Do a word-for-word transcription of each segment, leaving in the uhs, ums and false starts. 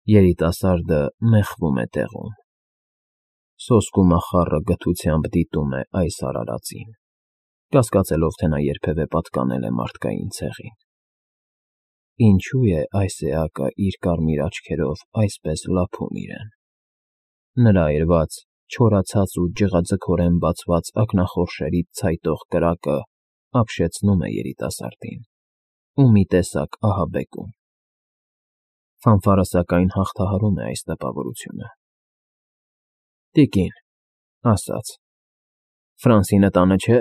Երիտասարդը մեխվում է տեղում։ Սոսկու մախառը գթությամբ դիտում է այս արարածին, կասկածելով, թե նա երբևէ պատկանել է մարդկային ցեղին։ Ինչո՞ւ է այս էակը իր կարմիր աչքերով այսպես լափում իրեն։ Նրա այրված, չորացած ու ջղաձգորեն բացված ակնախորշերից ցայտող կրակը ապշեցնում է երիտասարդին ու մի տեսակ ահաբեկում։ Ֆանֆարը, սակայն, հաղթահարում է այս տպավորությունը։ ֊ Տիկին, ֊ ասաց, ֊ Ֆրանսինը տանը չէ՞։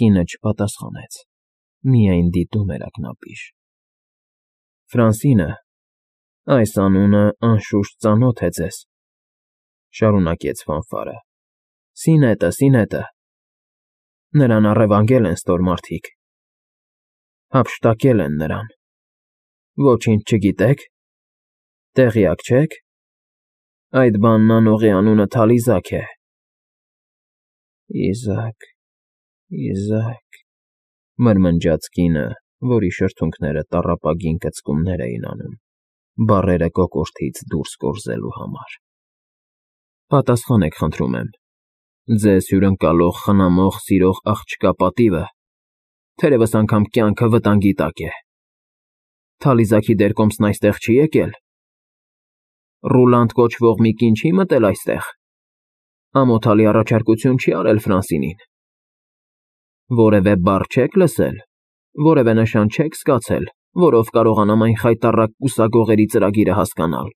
Կինը չպատասխանեց, միայն դիտում էր ակնապիշ։ ֊ Ֆրանսինը… այս անունը, անշուշտ, ծանոթ է ձեզ, ֊ շարունակեց Ֆանֆարը։ ֊ Սինետը, Սինետը… Նրան առևանգել են ստոր մարդիկ, հափշտակել են նրան… Ոչինչ չգիտե՞ք, տեղյակ չե՞ք… Այդ բանն անողի անունը Թալիզակ է։ ֊ Իզաակ, Իզաակ… մրմնջաց կինը, որի շրթունքները տառապագին կծկումներ էին անում, բառերը կոկորդից դուրս կորզելու համար։ ֊ Պատասխանեք, խնդրում եմ, ձեզ հյուրընկալող, խնամող, սիրող աղջկա պատիվը, թերևս անգամ կյանքը վտանգի տակ է… Թալիզաքի դերկոմսն այստեղ չի՞ եկել… Ռուլանդ կոչվող մի կին չի՞ մտել այստեղ… Ամոթալի առաջարկություն չի՞ արել Ֆրանսինին… Որևէ բառ չե՞ք լսել, որևէ նշան չե՞ք զգացել, որով կարողանամ այն խայտառակ կուսագողերի ծրագիրը հասկանալ…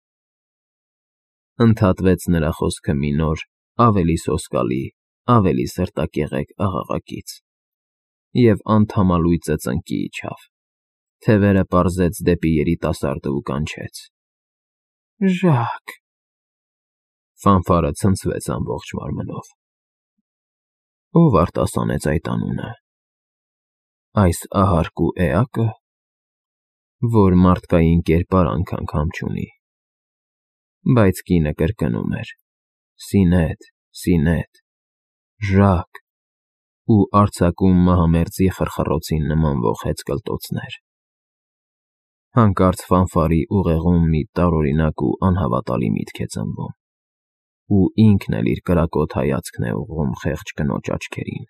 Ընդհատվեց նրա խոսքը մի նոր, ավելի սոսկալի, ավելի սրտակեղեկ աղաղակից, և անթամալույծը ծնկի իջավ, թևերը պարզեց դեպի երիտասարդը ու կանչեց. ֊ Ժակ… Ֆանֆարը ցնցվեց ամբողջ մարմնով։ Ո՞վ արտասանեց այդ անունը… Այս ահարկու էակը, որ մարդկային կերպարանք անգամ չունի… Բայց կինը կրկնում էր. Սինեթ, Սինեթ… Ժակ… ու արձակում մահամերձի խրխռոցին նմանվող հեծկլտոցներ… Հանկարծ Ֆանֆարի ուղեղում մի տարօրինակ ու անհավատալի միտք է ծնվում, ու ինքն էլ իր կրակոտ հայացքն է ուղղում խեղճ կնոջ աչքերին…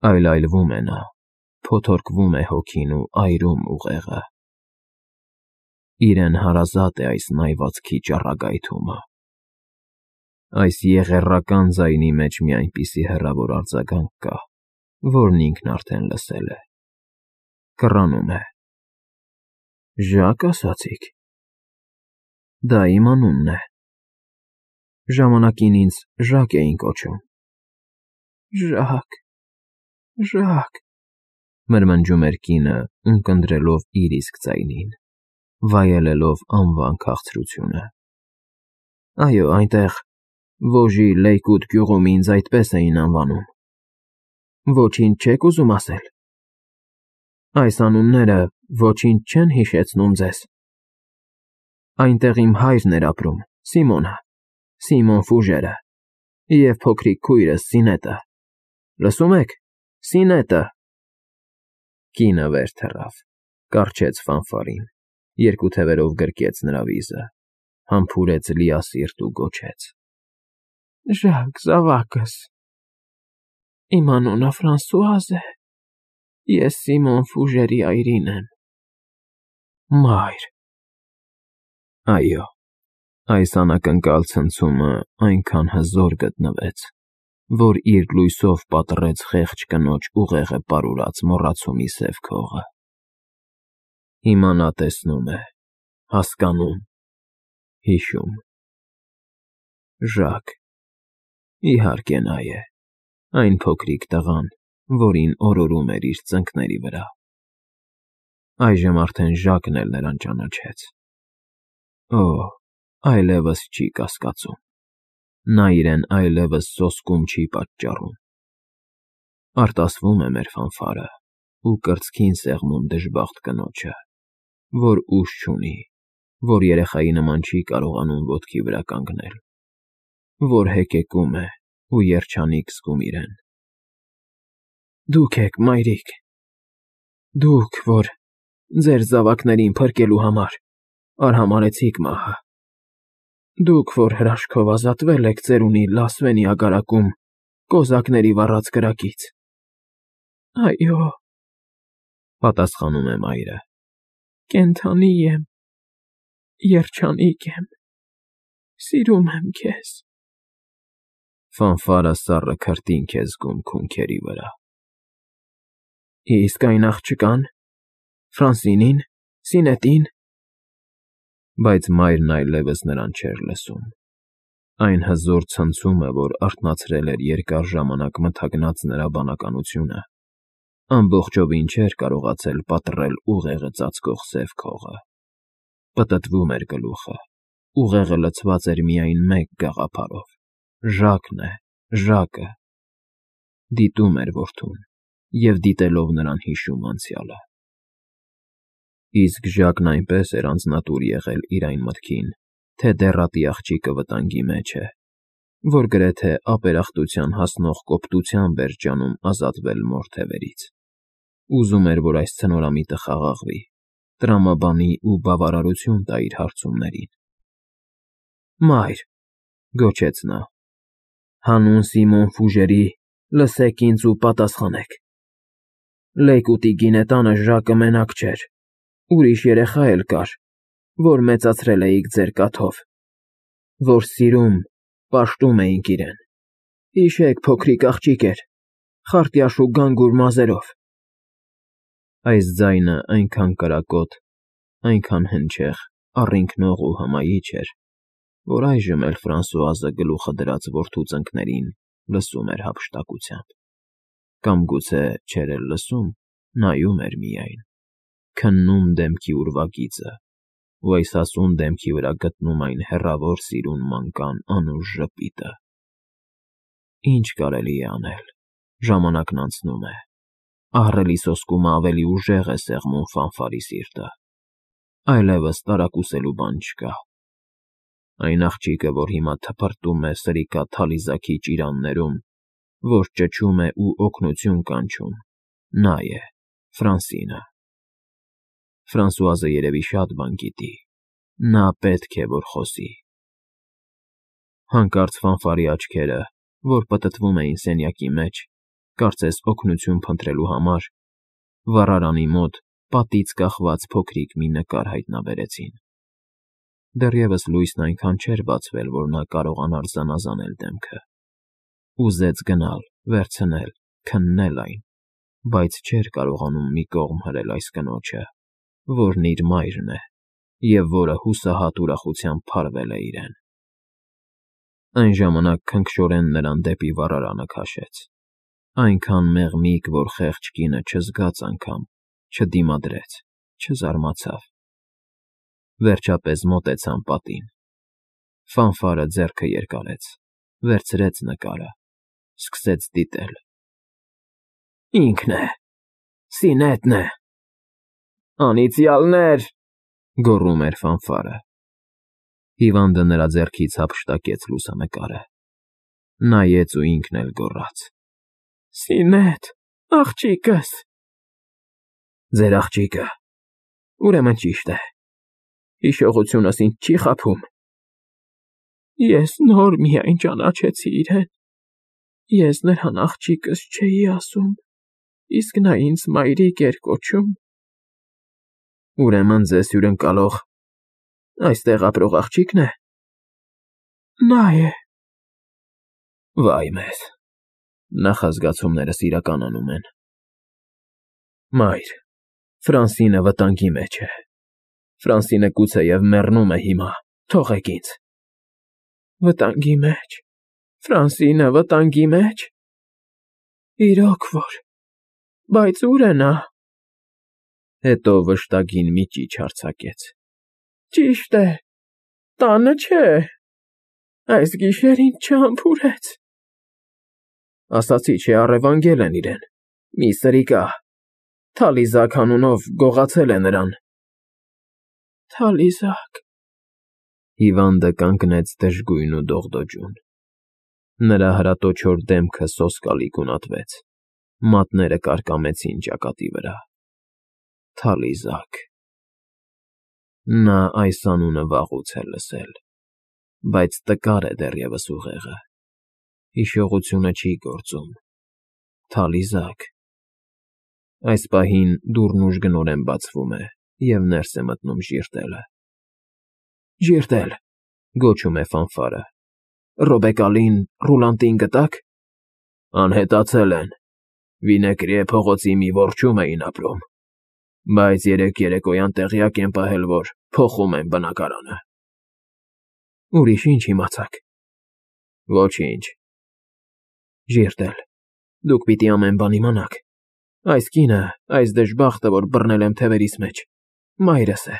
Այլայլվում է նա, փոթորկվում է հոգին ու այրում ուղեղը… Իրեն հարազատ է այս նայվածքի ճառագայթումը… Այս եղեռական ձայնի մեջ մի այնպիսի հեռավոր արձագանք կա, որն ինքն արդեն լսել է… Կռանում է… Ժա՞կ ասացիք… Դա իմ անունն է… Ժամանակին ինձ Ժակ էին կոչում… Ժակ… Ժակ… մրմնջում էր կինը, ունկնդրելով իր իսկ ձայնին, վայելելով անվան քաղցրությունը… Այո, այնտեղ, Վոժի Լեյկուտ գյուղում ինձ այդպես էին անվանում… Ոչինչ չեք ուզում ասել… Այս անունները ոչինչ չեն հիշեցնում ձեզ… Այնտեղ իմ հայրն էր ապրում, Սիմոնը, Սիմոն Ֆուժերը, և փոքրիկ քույրս Սինետը… Լսում եք, Սինետը… Կինը վեր թռավ, կառչեց Ֆանֆարին, երկու թևերով գրկեց նրա վիզը, համբուրեց լիասիրտ ու գոչեց. ֊ Ժակ, զավակս… Իմ անունը Ֆրանսուազ է, ես Սիմոն Ֆուժերի այրին եմ… Մայր… Այո, այս անակնկալ ցնցումը այնքան հզոր գտնվեց, որ իր լույսով պատռեց խեղճ կնոջ ուղեղը պարուրած մոռացումի սև քողը… Հիմա նա տեսնում է, հասկանում, հիշում… Ժակ… իհարկե նա է, այն փոքրիկ տղան, որին օրորում էր իր ծնկների վրա… Այժմ արդեն Ժակն էլ նրան ճանաչեց… Օ՜, այլևս չի կասկածում… Նա իրեն այլևս սոսկում չի պատճառում… Արտասվում է մեր Ֆանֆարը ու կրծքին սեղմում դժբախտ կնոջը, որ ուժ չունի, որ երեխայի նման չի կարողանում ոտքի վրա կանգնել, որ հեկեկում է ու երջանիկ զգում իրեն… Դուք եք, մայրիկ… Դուք, որ ձեր զավակներին փրկելու համար… Արհամարհեցիք մահը։ Դուք, որ հրաշքով ազատվել եք ծերունի Լասվենի ագարակում կոզակների վառած կրակից։ Այո, պատասխանում է մայրը։ Կենդանի եմ, երջանիկ եմ, սիրում եմ քեզ։ Ֆանֆարը սառը քրտինք է զգում քունքերի վրա։ Իսկ այն աղջկա՞ն, Ֆրանսինին, Սինետին… Բայց մայրն այլևս նրան չէր լսում։ Այն հզոր ցնցումը, որ արթնացրել էր երկար ժամանակ մթագնած նրա բանականությունը, ամբողջովին չէր կարողացել պատռել ուղեղը ծածկող սև քողը։ Պտտվում էր գլուխը, ուղեղը լցված էր միայն մեկ գաղափարով. Ժակն է, Ժակը… Դիտում էր որդուն և, դիտելով նրան, հիշում անցյալը։ Իսկ Ժակն այնպես էր անձնատուր եղել իր այն մտքին, թե դեռատի աղջիկը վտանգի մեջ է, որ գրեթե ապերախտության հասնող կոպտությամբ էր ջանում ազատվել մոր թևերից։ Ուզում էր, որ այս ցնորամիտը խաղաղվի, տրամաբանի ու բավարարություն տա իր հարցումներին։ Մայր, գոչեց նա, հանուն Սիմոն Ֆուժերի լսեք ինձ ու պատասխանեք։ Լեյկուտի գինետանը Ժակը մենակ չէր, ուրիշ երեխա էլ կար, որ մեծացրել էիք ձեր կաթով, որ սիրում, պաշտում էինք իրեն։ Հիշեք, փոքրիկ աղջիկ էր, խարտյաշ ու գանգուր մազերով։ Այս ձայնը այնքան կրակոտ, այնքան հնչեղ, առինքնող ու հմայիչ էր, որ այժմ էլ Ֆրանսուազը գլուխը դրած որդու ծնկներին լսում էր հափշտակությամբ։ Կամ գուցե չէր էլ լսում, նայում էր միայն, քննում դեմքի ուրվագիծը ու այս հասուն դեմքի վրա գտնում այն հեռավոր սիրուն մանկան անուշ ժպիտը։ Ինչ կարելի է անել, ժամանակն անցնում է, ահռելի սոսկումը ավելի ուժեղ է սեղմում Ֆանֆարի սիրտը, այլևս տարակուսելու բան չկա։ Այն աղջիկը, որ հիմա թփրտում է սրիկա թալիզաքի ճիրաններում, որ ճչում է ու օգնություն կանչում, նա է, Ֆրանսինը։ Ֆրանսուազը երևի շատ բան գիտի, նա պետք է, որ խոսի։ Հանկարծ Ֆանֆարի աչքերը, որ պտտվում էին սենյակի մեջ, կարծես օգնություն փնտրելու համար, վառարանի մոտ պատից կախված փոքրիկ մի նկար հայտնաբերեցին։ Դեռևս լույսն այնքան չէր բացվել, որ նա կարողանար զանազանել դեմքը։ Ուզեց գնալ, վերցնել, քննել այն, բայց չէր կարողանում մի կողմ հրել այս կնոջը, որն իր մայրն է և որը հուսահատ ուրախությամբ փարվել է իրեն։ Այն ժամանակ քնքշորեն նրան դեպի վառարանը քաշեց, այնքան մեղմիկ, որ խեղճ կինը չզգաց անգամ, չդիմադրեց, չզարմացավ։ Վերջապես մոտեցան պատին։ Ֆանֆարը ձեռքը երկարեց, վերցրեց նկարը, սկսեց դիտել։ Ինքն է, Սինետն է… Անիծյալներ… գոռում էր Ֆանֆարը։ Հիվանդը նրա ձեռքից հափշտակեց լուսանկարը, նայեց ու ինքն էլ գոռաց. Սինետ, աղջիկս… Ձեր աղջիկը… Ուրեմն ճիշտ է, հիշողությունս ինձ չի խաբում։ Ես նոր միայն ճանաչեցի իրեն, ես նրան աղջիկս չէի ասում, իսկ նա ինձ մայրիկ էր կոչում։ Ուրեմն ձեզ հյուրընկալող այստեղ ապրող աղջիկն է… Նա է… Վայ մեզ… Նախազգացումներս իրականանում են… Մայր, Ֆրանսինը վտանգի մեջ է… Ֆրանսինը գուցեև մեռնում է հիմա, թողեք ինձ… Վտանգի մեջ… Ֆրանսինը վտանգի մեջ… Իրոք որ… Բայց ո՞ւր է նա… Հետո վշտագին մի ճիչ արձակեց. Ճիշտ է, տանը չէ… Այս գիշեր ինձ չհամբուրեց… Ասացի չէ, առևանգել են իրեն, մի սրիկա… Թալիզակ անունով գողացել է նրան… Թալիզակ… Հիվանդը կանգնեց դժգույն ու դողդոջուն։ Նրա հրատոչոր դեմքը սոսկալի գունատվեց, մատները կարկամեցին ճակատի վրա… Թալիզակ… Նա այս անունը վաղուց է լսել, բայց տկար է դեռևս ուղեղը, հիշողությունը չի գործում, թալիզակ… Այս պահին դուռն ուժգնորեն բացվում է, և ներս է մտնում ժիրտելը։ ֊ Ժիրտել,֊ գոչում է ֆանֆարը,֊ Ռոբեկալին, Ռուլանտին գտա՞ք։ ֊ Անհետացել են, Վինեկրիե փողոցի մի որջում էին ապրում, բայց երեկ երեկոյան տեղյակ եմ պահել, որ փոխում են բնակարանը։ ֊ Ուրիշ ի՞նչ իմացաք։ ֊ Ոչինչ։ ֊ Ժիրտել, դուք պիտի ամեն բան իմանաք. այս կինը, այս դժբախտը, որ բռնել եմ թևերիս մեջ, մայրս է,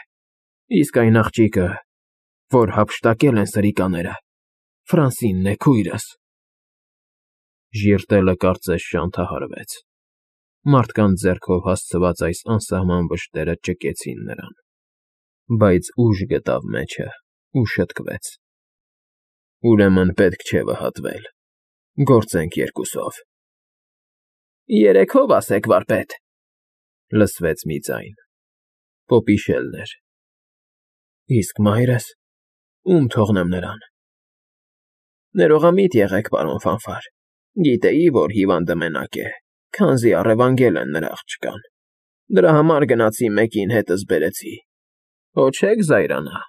իսկ այն աղջիկը, որ հափշտակել են սրիկաները, Ֆրանսինն է, քույրս… Ժիրտելը կարծես շանթահարվեց։ Մարդկանց ձեռքով հասցված այս անսահման վշտերը ճկեցին նրան, բայց ուժ գտավ մեջը ու շտկվեց։ ֊ Ուրեմն պետք չէ վհատվել, գործենք երկուսով։ ֊ Երեկ հո՞վ ասեք, վարպետ,֊ լսվեց մի ձայն… Պոպիշելն էր։ ֊ Իսկ մայրս… ո՞ւմ թողնեմ նրան։ ֊ Ներողամիտ եղեք, պարոն Ֆանֆար, գիտեի, որ հիվանդը մենակ է, քանզի առևանգել են նրա աղջկան, դրա համար գնացի մեկին հետս բերեցի, հո չեք զայրանա…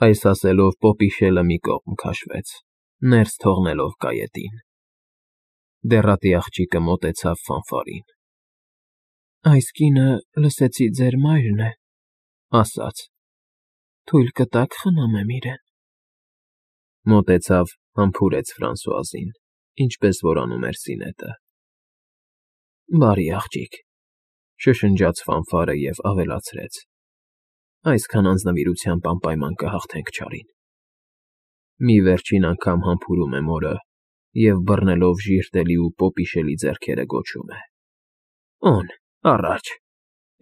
Այս ասելով Պոպիշելը մի կողմ քաշվեց, ներս թողնելով կայետին։ Դեռատի աղջիկը մոտեցավ Ֆանֆարին։ ֊ Այս կինը, լսեցի, ձեր մայրն է,֊ ասաց,֊ թույլ կտա՞ք խնամեմ իրեն։ Մոտեցավ, համբուրեց Ֆրանսուազին, ինչպես որ անում էր Սինետը։ ֊ Բարի աղջիկ,֊ շշնջաց Ֆանֆարը և ավելացրեց,֊ այսքան անձնվիրությամբ անպայման կհաղթենք չարին… Մի վերջին անգամ համբուրում է մորը և, բռնելով ժիրտելի ու Պոպիշելի ձեռքերը, գոչում է. «Օն, առաջ,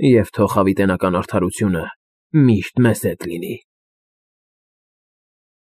և թող հավիտենական արդարությունը միշտ մեզ հետ լինի»։